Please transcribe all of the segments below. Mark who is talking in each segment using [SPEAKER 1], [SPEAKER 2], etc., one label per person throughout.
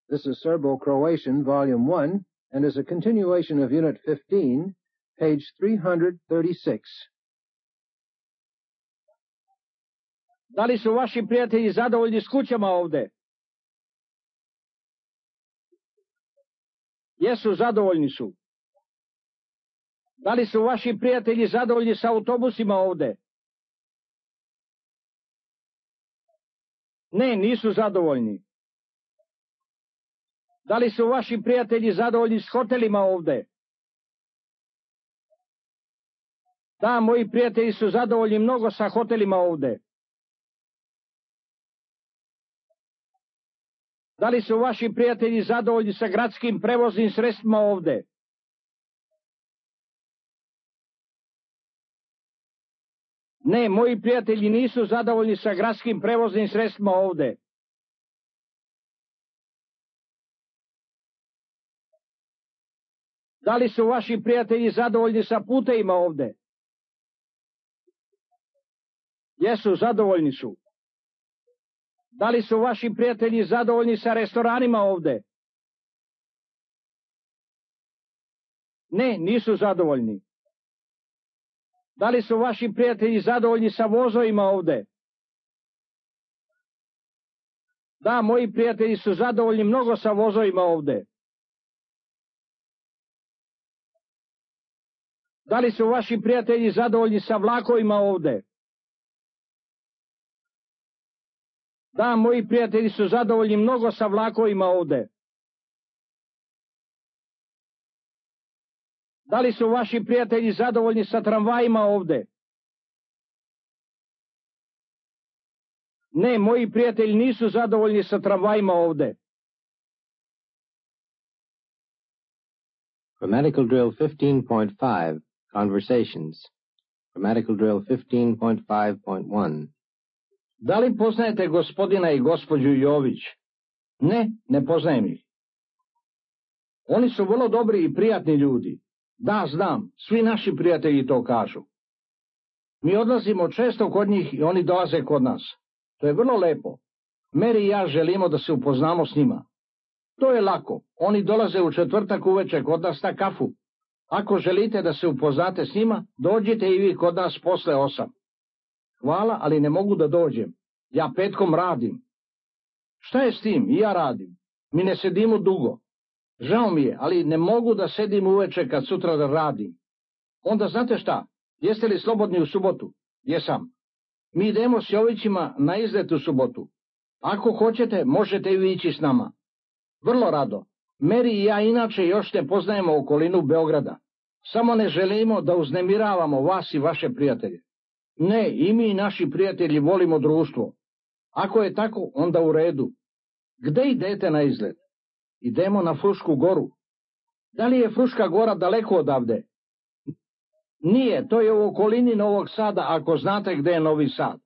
[SPEAKER 1] This is Serbo-Croatian, Volume 1, and is a continuation of Unit 15, page 336.
[SPEAKER 2] Da li su vaši prijatelji zadovoljni s kućama ovde? Jesu, zadovoljni su. Da li su vaši prijatelji zadovoljni s autobusima ovde? Ne, nisu zadovoljni. Da li su vaši prijatelji zadovoljni s hotelima ovde? Da, moji prijatelji su zadovoljni mnogo sa hotelima ovde. Da li su vaši prijatelji zadovoljni sa gradskim prevoznim sredstvima ovde? Ne, moji prijatelji nisu zadovoljni sa gradskim prevoznim sredstvima ovde. Da li su vaši prijatelji zadovoljni sa putevima ovde? Jesu, zadovoljni su. Da li su vaši prijatelji zadovoljni sa restoranima ovde? Ne, nisu zadovoljni. Da li su vaši prijatelji zadovoljni sa vozovima ovde? Da, moji prijatelji su zadovoljni mnogo sa vozovima ovde. Da li su vaši prijatelji zadovoljni sa vlakovima ovde? Da, moji prijatelji su zadovoljni mnogo sa vlakovima ovde. Da li su vaši prijatelji zadovoljni sa tramvajima ovde? Ne, moji prijatelji nisu zadovoljni sa tramvajima ovde.
[SPEAKER 1] Grammatical drill 15.5, Conversations. Grammatical drill 15.5.1.
[SPEAKER 2] Da li poznajete gospodina i gospođu Jović? Ne, ne poznajem ih. Oni su vrlo dobri i prijatni ljudi. Da, znam, svi naši prijatelji to kažu. Mi odlazimo često kod njih i oni dolaze kod nas. To je vrlo lepo. Mary i ja želimo da se upoznamo s njima. To je lako. Oni dolaze u četvrtak uveče kod nas na kafu. Ako želite da se upoznate s njima, dođite i vi kod nas posle 8. Hvala, ali ne mogu da dođem. Ja petkom radim. Šta je s tim? I ja radim. Mi ne sedimo dugo. Žao mi je, ali ne mogu da sedim uveče kad sutra da radim. Onda znate šta? Jeste li slobodni u subotu? Jesam. Mi idemo s Jovićima na izlet u subotu. Ako hoćete, možete i vi ići s nama. Vrlo rado. Mary i ja inače još ne poznajemo okolinu Beograda. Samo ne želimo da uznemiravamo vas i vaše prijatelje. Ne, i mi i naši prijatelji volimo društvo. Ako je tako, onda u redu. Gde idete na izlet? Idemo na Frušku goru. Da li je Fruška gora daleko odavde? Nije, to je u okolini Novog Sada, ako znate gde je Novi Sad.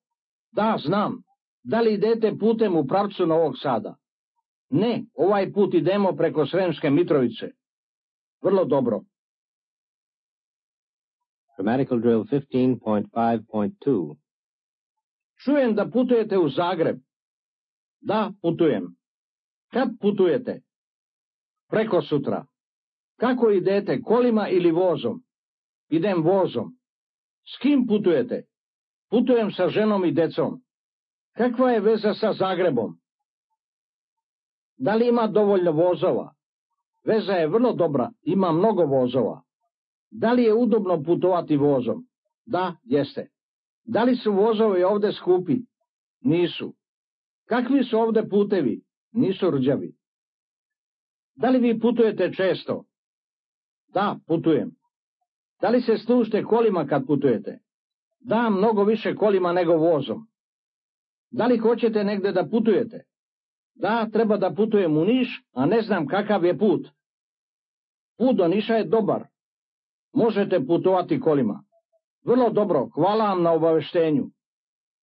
[SPEAKER 2] Da, znam. Da li idete putem u pravcu Novog Sada? Ne, ovaj put idemo preko Sremske Mitrovice. Vrlo dobro.
[SPEAKER 1] Grammatical drill 15.5.2.
[SPEAKER 2] Čujem da putujete u Zagreb. Da, putujem. Kad putujete? Preko sutra. Kako idete, kolima ili vozom? Idem vozom. S kim putujete? Putujem sa ženom i decom. Kakva je veza sa Zagrebom? Da li ima dovoljno vozova? Veza je vrlo dobra, ima mnogo vozova. Da li je udobno putovati vozom? Da, jeste. Da li su vozovi ovde skupi? Nisu. Kakvi su ovde putevi? Nisu rđavi. Da li vi putujete često? Da, putujem. Da li se služite kolima kad putujete? Da, mnogo više kolima nego vozom. Da li hoćete negde da putujete? Da, treba da putujem u Niš, a ne znam kakav je put. Put do Niša je dobar. Možete putovati kolima. Vrlo dobro, hvala vam na obaveštenju.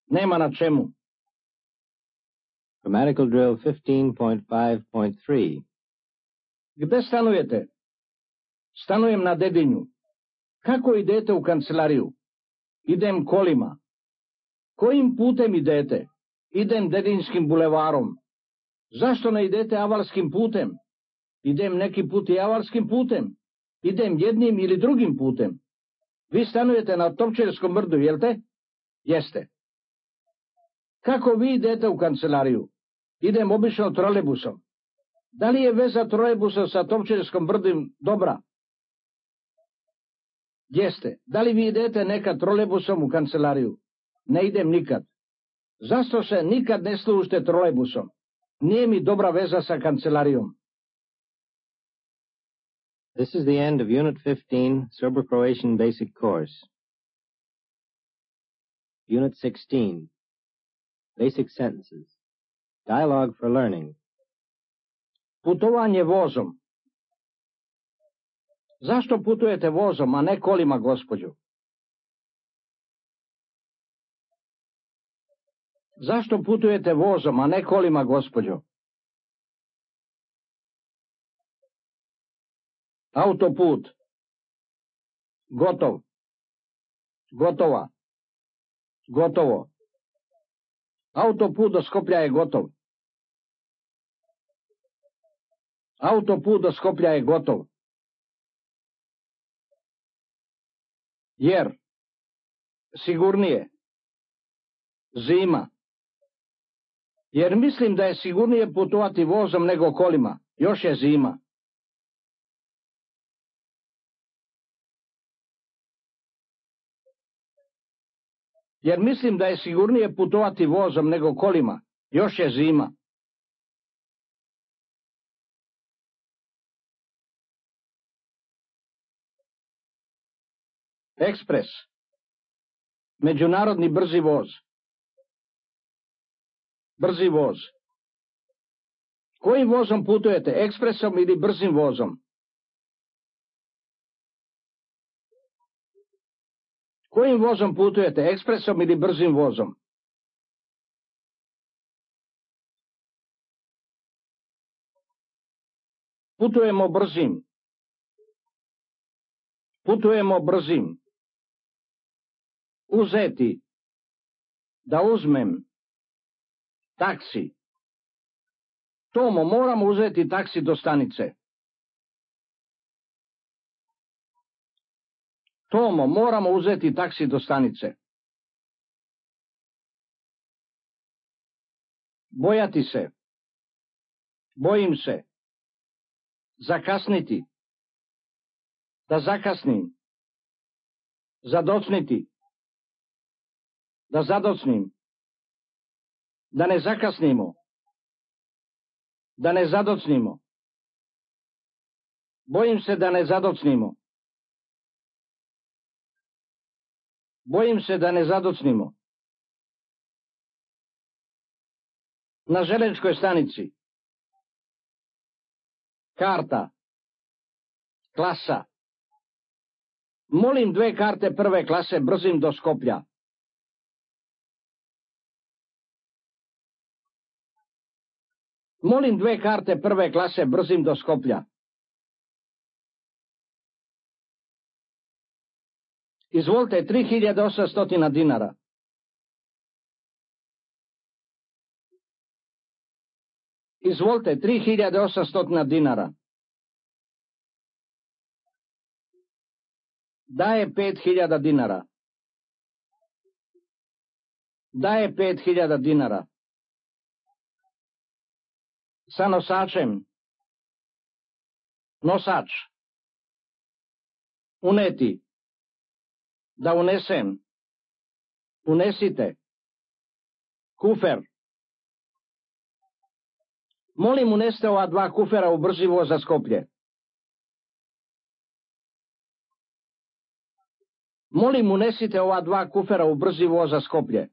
[SPEAKER 2] Nema na čemu.
[SPEAKER 1] Grammatical drill 15.5.3.
[SPEAKER 2] Gde stanujete? Stanujem na Dedinju. Kako idete u kancelariju? Idem kolima. Kojim putem idete? Idem Dedinskim bulevarom. Zašto ne idete avalskim putem? Idem neki put i avalskim putem. Idem jednim ili drugim putem. Vi stanujete na Topčerskom brdu, jel te? Jeste. Kako vi idete u kancelariju? Idem obično trolejbusom. Da li je veza trolejbusa sa Topčerskom brdom dobra? Jeste. Da li vi idete nekad trolejbusom u kancelariju? Ne idem nikad. Zašto se nikad ne služite trolejbusom? Nije mi dobra veza sa kancelarijom.
[SPEAKER 3] This is the end of Unit 15, Serbo-Croatian Basic Course. Unit 16, Basic Sentences. Dialogue for Learning.
[SPEAKER 2] Putovanje vozom. Zašto putujete vozom, a ne kolima, gospođo? Zašto putujete vozom, a ne kolima, gospođo? Autoput. Gotov. Gotova. Gotovo. Autoput do Skoplja je gotov. Autoput do Skoplja je gotov. Jer. Sigurnije. Zima. Jer mislim da je sigurnije putovati vozom nego kolima. Još je zima. Jer mislim da je sigurnije putovati vozom nego kolima. Još je zima. Ekspres. Međunarodni brzi voz. Brzi voz. Kojim vozom putujete? Ekspresom ili brzim vozom? Kojim vozom putujete? Ekspresom ili brzim vozom? Putujemo brzim. Putujemo brzim. Uzeti. Da uzmem. Taksi. Tomo, moramo uzeti taksi do stanice. Tomo, moramo uzeti taksi do stanice. Bojati se. Bojim se. Zakasniti. Da zakasnim. Zadocniti. Da zadocnim. Da ne zakasnimo. Da ne zadocnimo. Bojim se da ne zadocnimo. Bojim se da ne zadocnimo. Na železničkoj stanici. Karta. Klasa. Molim 2 karte prve klase brzim do Skoplja. Molim 2 karte prve klase brzim do Skoplja. Izvolite 3800 dinara. Izvolite 3800 dinara. Daje 5000 dinara. Daje 5000 dinara. Sa nosačem. Nosač. Uneti. Da unesem. Unesite. Kufer. Molim, uneste ova 2 kufera u brzi voz za Skoplje. Molim, unesite ova 2 kufera u brzi voz za Skoplje.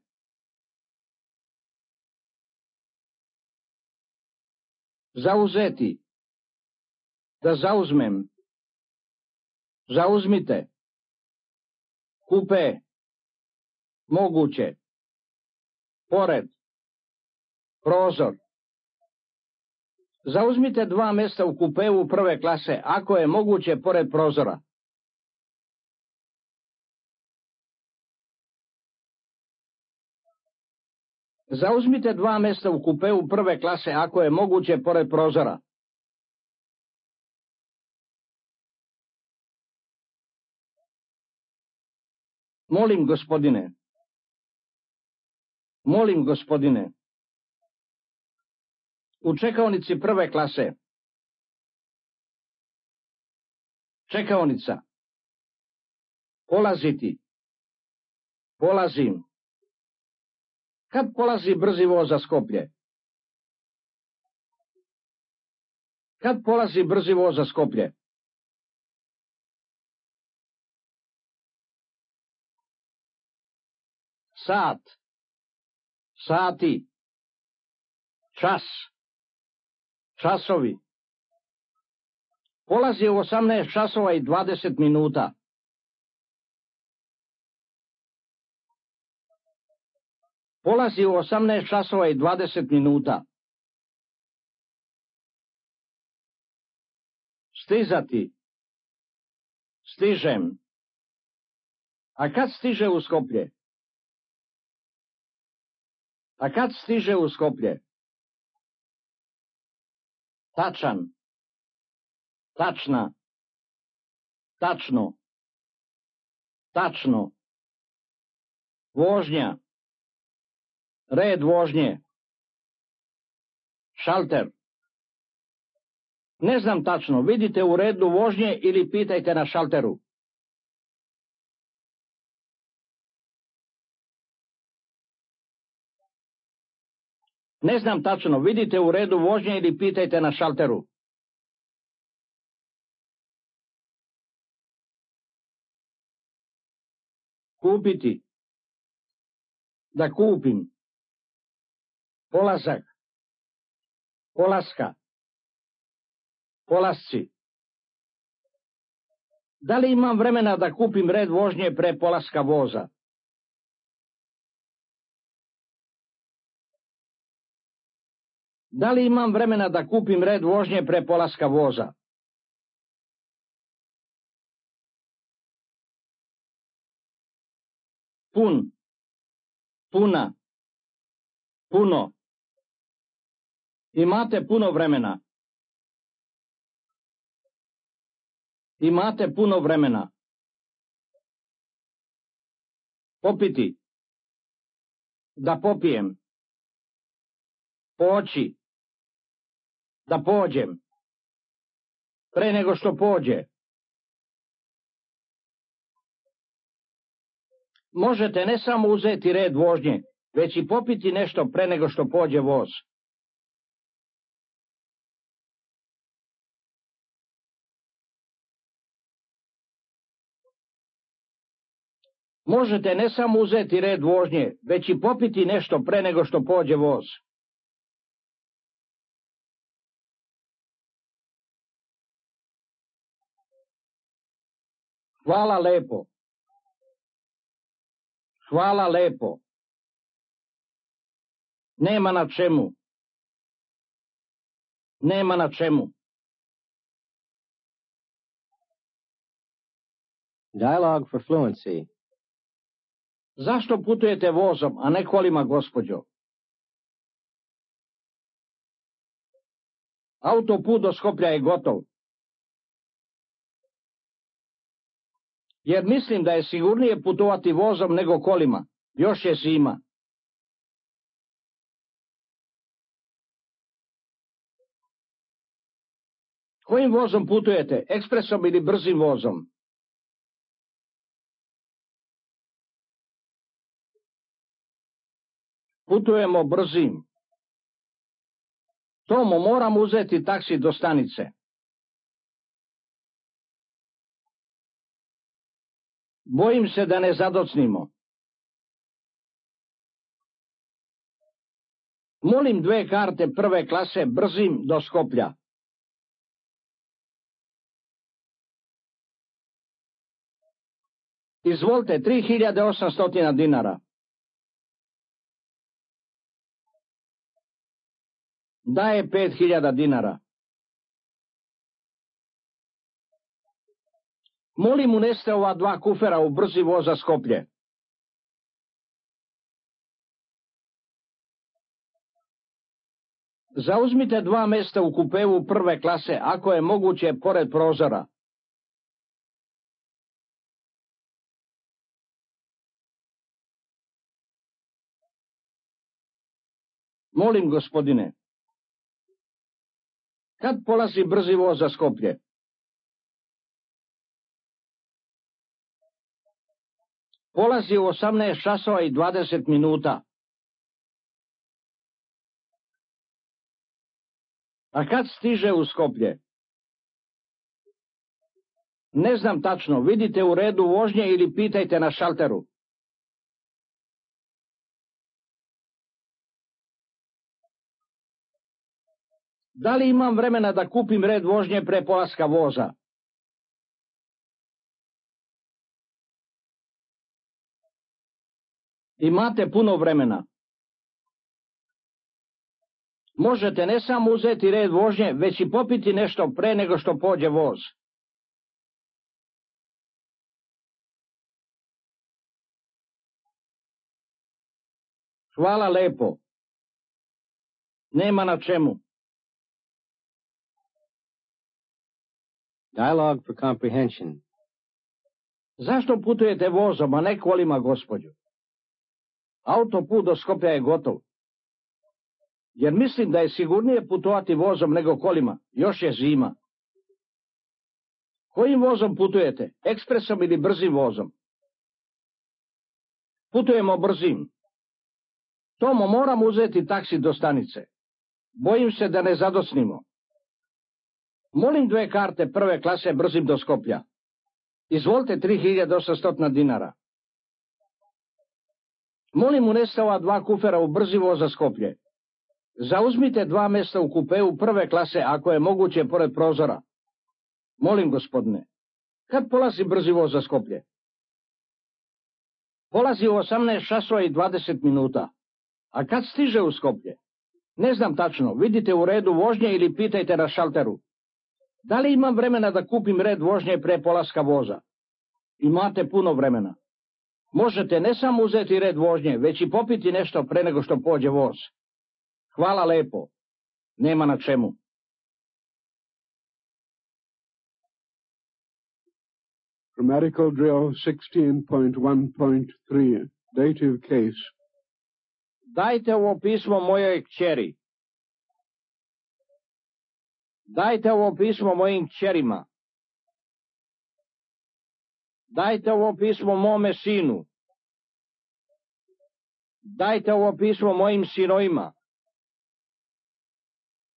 [SPEAKER 2] Zauzeti. Da zauzmem. Zauzmite. Kupe. Moguće. Pored. Prozor. Zauzmite 2 mjesta u kupeu prve klase, ako je moguće, pored prozora. Zauzmite 2 mjesta u kupeu prve klase ako je moguće pored prozora. Molim, gospodine. Molim, gospodine. U čekaonici prve klase. Čekaonica. Polaziti. Polazim. Kad polazi brzi voz za Skoplje? Kad polazi brzi voz za Skoplje? Sat. Sati. Čas. Časovi. Polazi u 18 časova i 20 minuta. Polazi u 18 časova i 20 minuta. Stizati. Stižem. A kad stiže u Skoplje? A kad stiže u Skoplje? Tačan. Tačna. Tačno. Tačno. Vožnja. Red vožnje. Šalter. Ne znam tačno, vidite u redu vožnje ili pitajte na šalteru. Ne znam tačno, vidite u redu vožnje ili pitajte na šalteru. Kupiti. Da kupim. Polazak. Polaska. Polasci. Da li imam vremena da kupim red vožnje pre polaska voza? Da li imam vremena da kupim red vožnje pre polaska voza? Pun. Puna. Puno. Imate puno vremena. Imate puno vremena. Popiti. Da popijem. Poći. Da pođem. Pre nego što pođe. Možete ne samo uzeti red vožnje, već i popiti nešto pre nego što pođe voz. Možete ne samo uzeti red vožnje, već i popiti nešto pre nego što pođe voz. Hvala lepo. Hvala lepo. Nema na čemu. Nema na čemu.
[SPEAKER 3] Dialogue for fluency.
[SPEAKER 2] Zašto putujete vozom, a ne kolima, gospođo? Autoput do Skoplja je gotov. Jer mislim da je sigurnije putovati vozom nego kolima. Još je zima. Kojim vozom putujete? Ekspresom ili brzim vozom? Putujemo brzim. Tomo, moram uzeti taksi do stanice. Bojim se da ne zadocnimo. Molim 2 karte prve klase brzim do Skoplja. Izvolite, 3800 dinara. Daje 5000 dinara. Molim, uneste ova 2 kufera u brzi voz za Skoplje. Zauzmite 2 mesta u kupeu prve klase, ako je moguće, pored prozora. Molim, gospodine. Kad polazi brzi voz za Skoplje? Polazi u 18 časova i 20 minuta. A kad stiže u Skoplje? Ne znam tačno, vidite u redu vožnje ili pitajte na šalteru. Da li imam vremena da kupim red vožnje pre polaska voza? Imate puno vremena. Možete ne samo uzeti red vožnje, već i popiti nešto pre nego što pođe voz. Hvala lepo. Nema na čemu.
[SPEAKER 3] Dialogue for comprehension.
[SPEAKER 2] Zašto putujete vozom, a ne kolima, gospođo? Autoput do Skoplja je gotov. Jer mislim da je sigurnije putovati vozom nego kolima, još je zima. Kojim vozom putujete, ekspresom ili brzim vozom? Putujemo brzim. Tomo, moram uzeti taksi do stanice. Bojim se da ne zadosnimo. Molim 2 karte prve klase brzim do Skoplja. Izvolite 3800 dinara. Molim, uneste ova 2 kufera u brzi voz za Skoplje. Zauzmite 2 mesta u kupeu prve klase, ako je moguće, pored prozora. Molim, gospodine. Kad polazi brzi voz za Skoplje? Polazi u 18 časova i 20 minuta. A kad stiže u Skoplje? Ne znam tačno, vidite u redu vožnje ili pitajte na šalteru. Da li imam vremena da kupim red vožnje pre polaska voza? Imate puno vremena. Možete ne samo uzeti red vožnje, već i popiti nešto pre nego što pođe voz. Hvala lepo. Nema na čemu.
[SPEAKER 4] Grammatical drill 16.1.3. Dative case.
[SPEAKER 2] Dajte ovo pismo mojoj kćeri. Dajte ovo pismo mojim kćerima. Dajte ovo pismo mome sinu. Dajte ovo pismo mojim sinovima.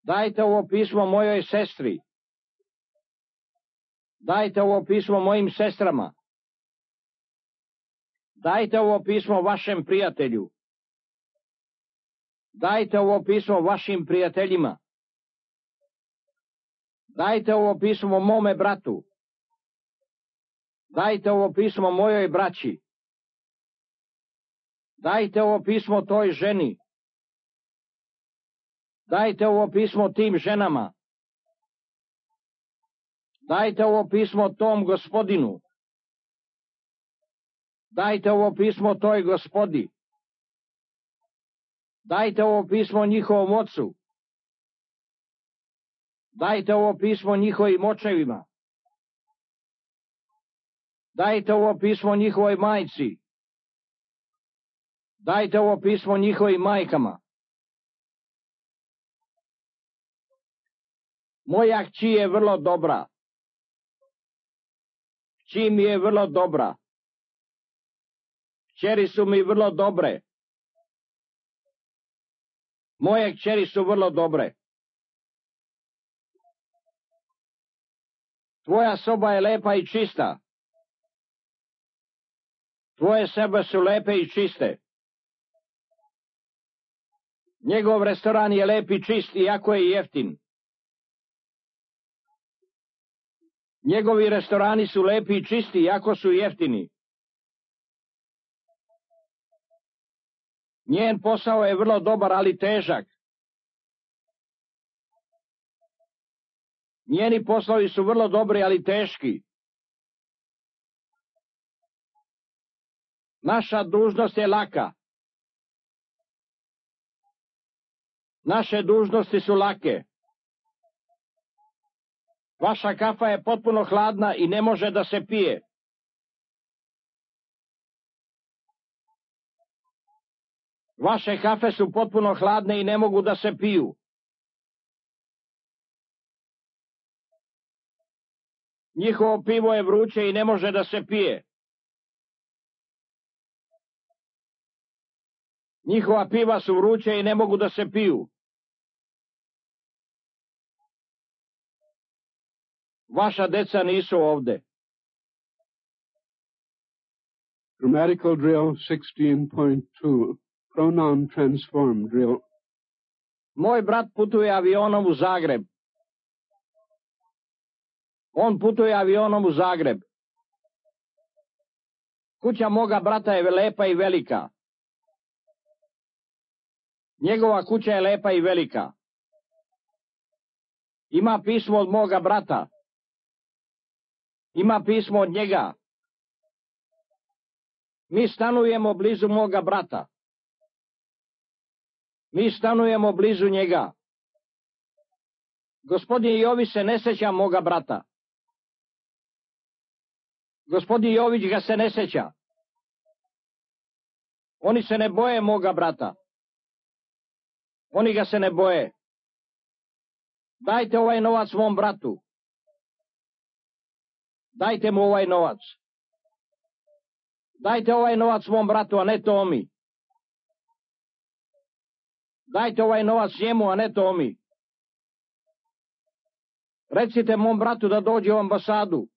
[SPEAKER 2] Dajte ovo pismo mojoj sestri. Dajte ovo pismo mojim sestrama. Dajte ovo pismo vašem prijatelju. Dajte ovo pismo vašim prijateljima. Dajte ovo pismo mome bratu. Dajte ovo pismo mojoj braći. Dajte ovo pismo toj ženi. Dajte ovo pismo tim ženama. Dajte ovo pismo tom gospodinu. Dajte ovo pismo toj gospodi. Dajte ovo pismo njihovom ocu. Dajte ovo pismo njihovim očevima. Dajte ovo pismo njihovoj majci. Dajte ovo pismo njihovim majkama. Moja kći je vrlo dobra. Kći mi je vrlo dobra. Kćeri su mi vrlo dobre. Moje kćeri su vrlo dobre. Tvoja soba je lepa i čista. Tvoje sobe su lepe i čiste. Njegov restoran je lep i čist, iako je jeftin. Njegovi restorani su lepi i čisti, iako su jeftini. Njen posao je vrlo dobar, ali težak. Njeni poslovi su vrlo dobri, ali teški. Naša dužnost je laka. Naše dužnosti su lake. Vaša kafa je potpuno hladna i ne može da se pije. Vaše kafe su potpuno hladne i ne mogu da se piju. Njihovo pivo je vruće i ne može da se pije. Njihova piva su vruće i ne mogu da se piju. Vaša deca nisu ovde.
[SPEAKER 4] Grammatical drill 16.2. Pronoun transform drill.
[SPEAKER 2] Moj brat putuje avionom u Zagreb. On putuje avionom u Zagreb. Kuća moga brata je lepa i velika. Njegova kuća je lepa i velika. Ima pismo od moga brata. Ima pismo od njega. Mi stanujemo blizu moga brata. Mi stanujemo blizu njega. Gospodin Jović se ne seća moga brata. Gospodin Jović ga se ne seća. Oni se ne boje moga brata. Oni ga se ne boje. Dajte ovaj novac mom bratu. Dajte mu ovaj novac. Dajte ovaj novac mom bratu, a ne Tomi. Dajte ovaj novac njemu, a ne Tomi. Recite mom bratu da dođe u ambasadu.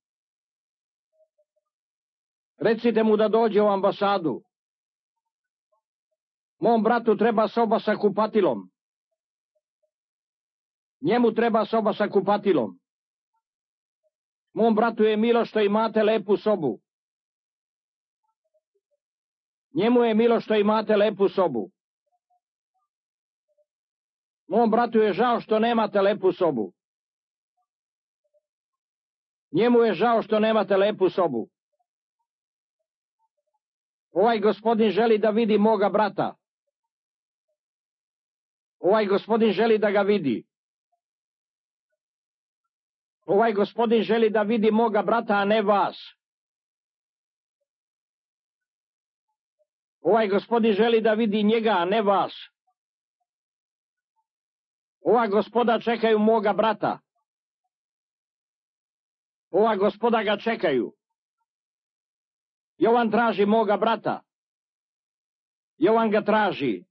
[SPEAKER 2] Recite mu da dođe u ambasadu. Mom bratu treba soba sa kupatilom. Njemu treba soba sa kupatilom. Mom bratu je milo što imate lepu sobu. Njemu je milo što imate lepu sobu. Mom bratu je žao što nemate lepu sobu. Njemu je žao što nemate lepu sobu. Ovaj gospodin želi da vidi moga brata. Ovaj gospodin želi da ga vidi. Ovaj gospodin želi da vidi moga brata, a ne vas. Ovaj gospodin želi da vidi njega, a ne vas. Ova gospoda čekaju moga brata. Ova gospoda ga čekaju. Jovan traži moga brata. Jovan ga traži.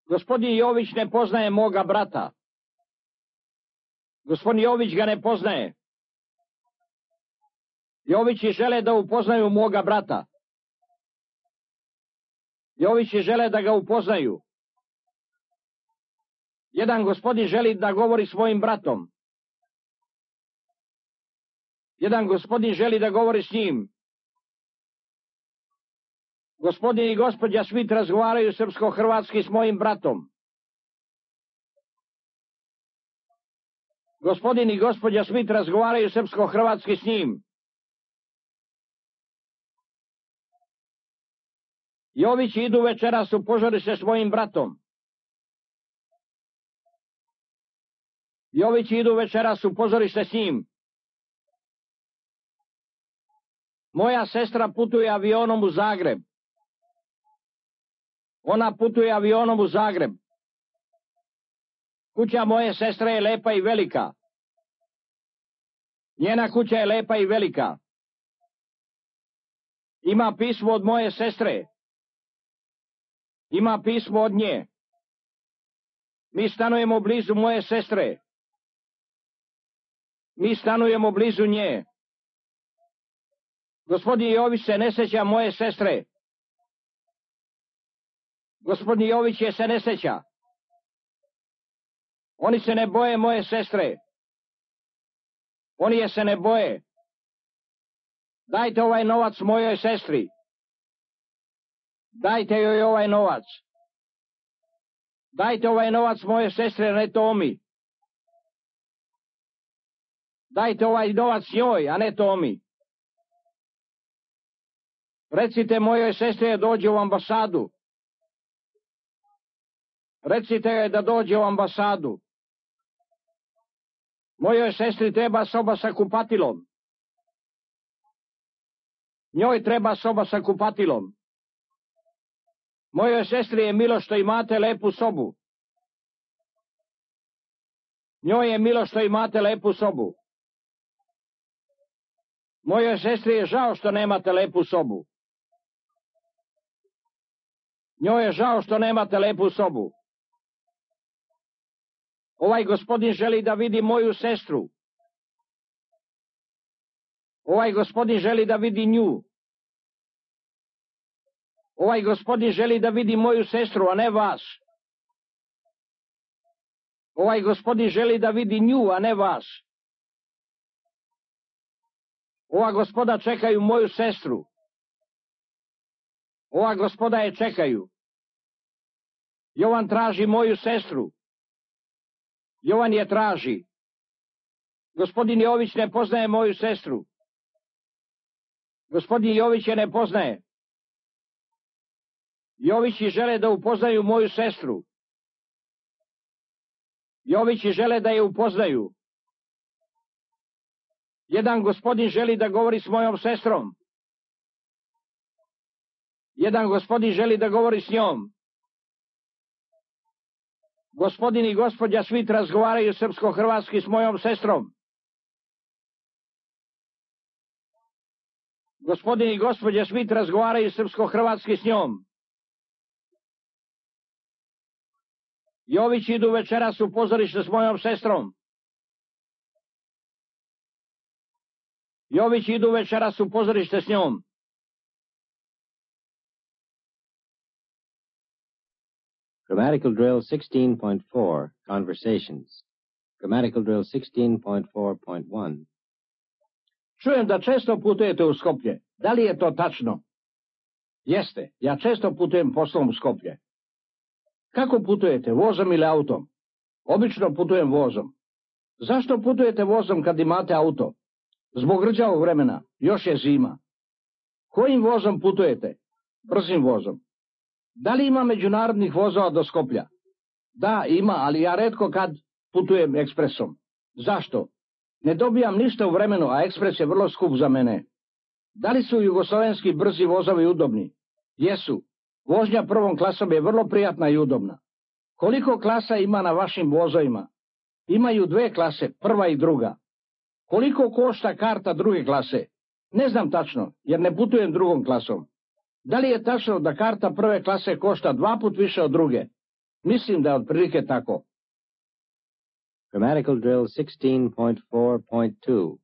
[SPEAKER 2] Gospodin Jović ne poznaje moga brata. Gospodin Jović ga ne poznaje. Jovići žele da upoznaju moga brata. Jovići žele da ga upoznaju. Jedan gospodin želi da govori svojim bratom. Jedan gospodin želi da govori s njim. Gospodin i gospođa Smith razgovaraju srpsko-hrvatski s mojim bratom. Gospodin i gospođa Smith razgovaraju srpsko-hrvatski s njim. Jovići idu večeras u pozorište s mojim bratom. Jovići idu večeras u pozorište s njim. Moja sestra putuje avionom u Zagreb. Ona putuje avionom u Zagreb. Kuća moje sestre je lepa i velika. Njena kuća je lepa i velika. Ima pismo od moje sestre. Ima pismo od nje. Mi stanujemo blizu moje sestre. Mi stanujemo blizu nje. Gospodin Jović se ne seća moje sestre. Gospodin Jović je se ne seća. Oni se ne boje moje sestre. Oni je se ne boje. Dajte ovaj novac mojoj sestri. Dajte joj ovaj novac. Dajte ovaj novac moje sestre, ne Tomi. Dajte ovaj novac njoj, a ne Tomi. Recite mojoj sestri da dođe u ambasadu. Recite joj da dođe u ambasadu. Mojoj sestri treba soba sa kupatilom. Njoj treba soba sa kupatilom. Mojoj sestri je milo što imate lepu sobu. Njoj je milo što imate lepu sobu. Mojoj sestri je žao što nemate lepu sobu. Njoj je žao što nemate lepu sobu. Ovaj gospodin želi da vidi moju sestru. Ovaj gospodin želi da vidi nju. Ovaj gospodin želi da vidi moju sestru, a ne vas. Ovaj gospodin želi da vidi nju, a ne vas. Ova gospoda čekaju moju sestru. Ova gospoda je čekaju. Jovan traži moju sestru. Jovan je traži. Gospodin Jović ne poznaje moju sestru. Gospodin Jović je ne poznaje. Jovići žele da upoznaju moju sestru. Jovići žele da je upoznaju. Jedan gospodin želi da govori s mojom sestrom. Jedan gospodin želi da govori s njom. Gospodin i gospođa Svit razgovaraju srpsko-hrvatski s mojom sestrom. Gospodin i gospođa Svit razgovaraju srpsko-hrvatski s njom. Jović idu večeras u pozorište s mojom sestrom. Jović idu večeras u pozorište s njom.
[SPEAKER 3] Grammatical drill 16.4, Conversations. Grammatical drill 16.4.1.
[SPEAKER 2] Čujem da često putujete u Skoplje. Da li je to tačno? Jeste, ja često putujem poslom u Skoplje. Kako putujete, vozom ili autom? Obično putujem vozom. Zašto putujete vozom kad imate auto? Zbog rđavog vremena, još je zima. Kojim vozom putujete? Brzim vozom. Da li ima međunarodnih vozova do Skoplja? Da, ima, ali ja retko kad putujem ekspresom. Zašto? Ne dobijam ništa u vremenu, a ekspres je vrlo skup za mene. Da li su jugoslovenski brzi vozovi udobni? Jesu. Vožnja prvom klasom je vrlo prijatna i udobna. Koliko klasa ima na vašim vozovima? Imaju 2 klase, prva i druga. Koliko košta karta druge klase? Ne znam tačno, jer ne putujem drugom klasom. Da li je tačno da karta prve klase košta 2 puta više od druge? Mislim da je otprilike tako.
[SPEAKER 3] Grammatical drill 16.4.2.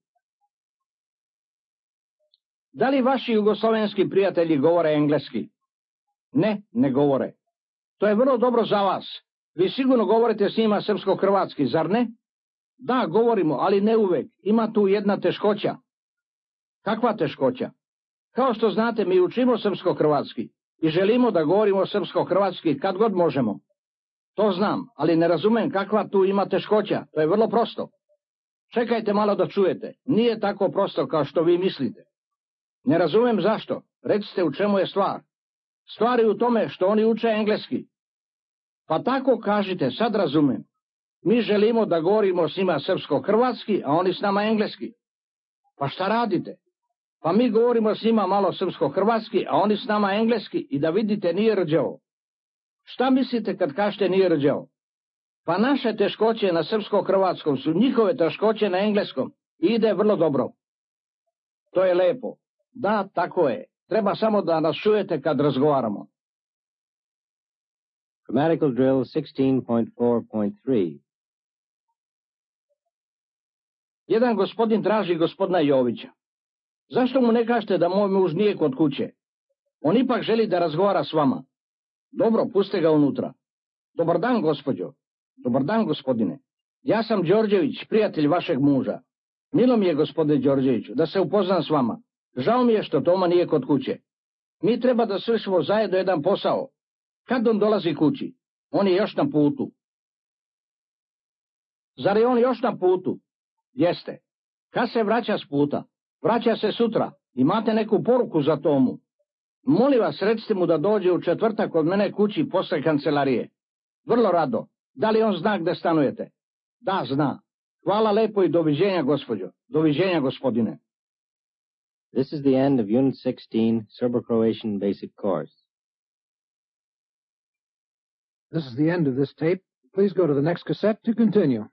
[SPEAKER 2] Da li vaši jugoslovenski prijatelji govore engleski? Ne, ne govore. To je vrlo dobro za vas. Vi sigurno govorite s njima srpsko-hrvatski, zar ne? Da, govorimo, ali ne uvek. Ima tu jedna teškoća. Kakva teškoća? Kao što znate, mi učimo srpsko-hrvatski i želimo da govorimo srpsko-hrvatski kad god možemo. To znam, ali ne razumem kakva tu ima teškoća. To je vrlo prosto. Čekajte malo da čujete. Nije tako prosto kao što vi mislite. Ne razumem zašto. Recite u čemu je stvar. Stvar je u tome što oni uče engleski. Pa tako kažite, sad razumem. Mi želimo da govorimo s njima srpsko-hrvatski, a oni s nama engleski. Pa šta radite? Pa mi govorimo s njima malo srpsko-hrvatski, a oni s nama engleski i da vidite nije rđavo. Šta mislite kad kažete nije rđavo? Pa naše teškoće na srpsko-hrvatskom su njihove teškoće na engleskom i ide vrlo dobro. To je lepo. Da, tako je. Treba samo da nas čujete kad razgovaramo.
[SPEAKER 3] Grammatical drill 16.4.3.
[SPEAKER 2] Jedan gospodin traži gospodina Jovića. Zašto mu ne kažete da moj muž nije kod kuće? On ipak želi da razgovara s vama. Dobro, puste ga unutra. Dobar dan, gospođo. Dobar dan, gospodine. Ja sam Đorđević, prijatelj vašeg muža. Milo mi je, gospodine Đorđeviću, da se upoznam s vama. Žao mi je što Toma nije kod kuće. Mi treba da svršimo zajedno jedan posao. Kad on dolazi kući? On je još na putu. Zar je on još na putu? Jeste. Kad se vraća s puta? Vraća se sutra. Imate neku poruku za Tomu? Molim vas, recite mu da dođe u četvrtak kod mene kući posle kancelarije. Vrlo rado. Da li on zna gde stanujete? Da, zna. Hvala lepo i doviđenja, gospođo. Doviđenja, gospodine.
[SPEAKER 3] This is the end of Unit 16, Serbo-Croatian Basic Course.
[SPEAKER 1] This is the end of this tape. Please go to the next cassette to continue.